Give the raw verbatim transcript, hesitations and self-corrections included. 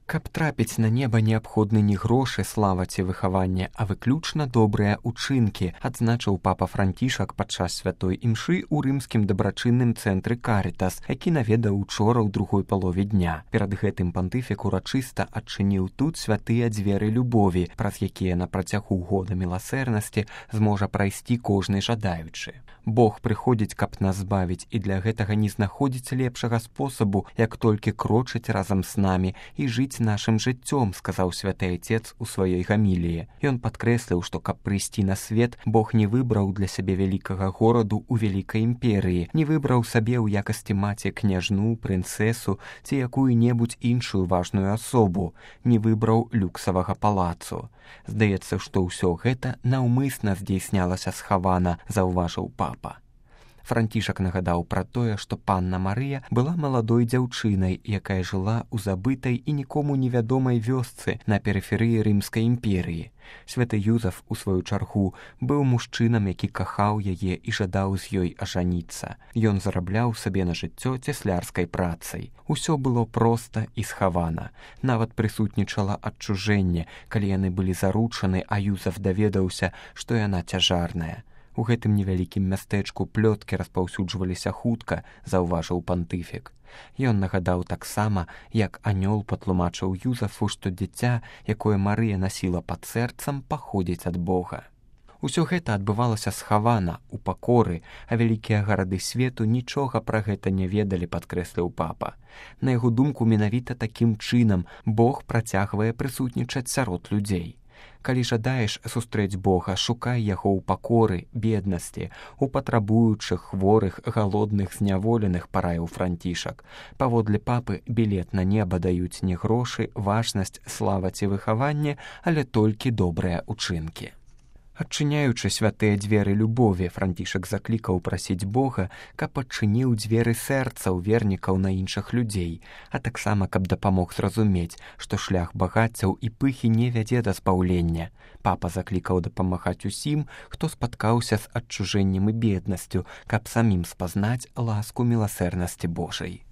Каб трапіць на неба неабходны не грошы, слава ці выхаванне, а выключна добрыя ўчынкі, адзначыў папа Францішак падчас святой імшы ў рымскім дабрачынным цэнтры Карытас, які наведаў учора ў другой палове дня. Перад гэтым пантыфік урачыста адчыніў тут святыя дзверы любові, праз якія на працягу года міласэрнасці зможа прайсці кожны жадаючы. Бог прыходзіць, каб нас збавіць, і для гэтага не знаходзіць лепшага спосабу, як толькі крочыць разам з намі і жыць нашым жыццём, сказаў святы Айцец у сваёй гаміліі. Ён падкрэсліў, што каб прыйсці на свет, Бог не выбраў для сябе вялікага гораду ў вялікай імперыі, не выбраў сабе ў якасці маці княжну, прынцэсу ці якую-небудзь іншую важную асобу, не выбраў люксавага палацу. Здаецца, што ўсё гэта наўмысна здзейснялася схавана, заўважыў папа. Францішак нагадаў пра тое, што панна Марыя была маладой дзяўчынай, якая жыла ў забытай і нікому невядомай вёсцы на перыферыі Рымскай імперыі. Святы Юзаф, у сваю чаргу, быў мужчынам, які кахаў яе і жадаў з ёй ажаніцца. Ён зарабляў сабе на жыццё цеслярскай працай. Усё было проста і схавана. Нават прысутнічала адчужэнне, калі яны былі заручаны, а Юзаф даведаўся, што яна цяжарная. У гэтым невялікім мястэчку плёткі распаўсюджваліся хутка, заўважыў пантыфік. Ён нагадаў таксама, як анёл патлумачыў Юзафу, што дзіця, якое Марыя насіла пад сэрцам, паходзіць ад Бога. Усё гэта адбывалася схавана, у пакоры, а вялікія гарады свету нічога пра гэта не ведалі, падкрэсліў папа. На яго думку, менавіта такім чынам Бог працягвае прысутнічаць сярод людзей. Калі жадаеш сустрэць Бога, шукай яго ў пакоры, беднасці, у патрабуючых, хворых, галодных, зняволеных, параіў Францішак. Паводле папы, білет на неба даюць не грошы, важнасць, слава ці выхаванне, але толькі добрыя ўчынкі. Адчыняючы святыя дзверы любові, Францішак заклікаў прасіць Бога, каб адчыніў дзверы сэрцаў вернікаў на іншых людзей, а таксама, каб дапамог зразумець, што шлях багаццяў і пыхі не вядзе да спаўлення. Папа заклікаў дапамагаць усім, хто спаткаўся з адчужэннем і беднасцю, каб самім спазнаць ласку міласэрнасці Божай.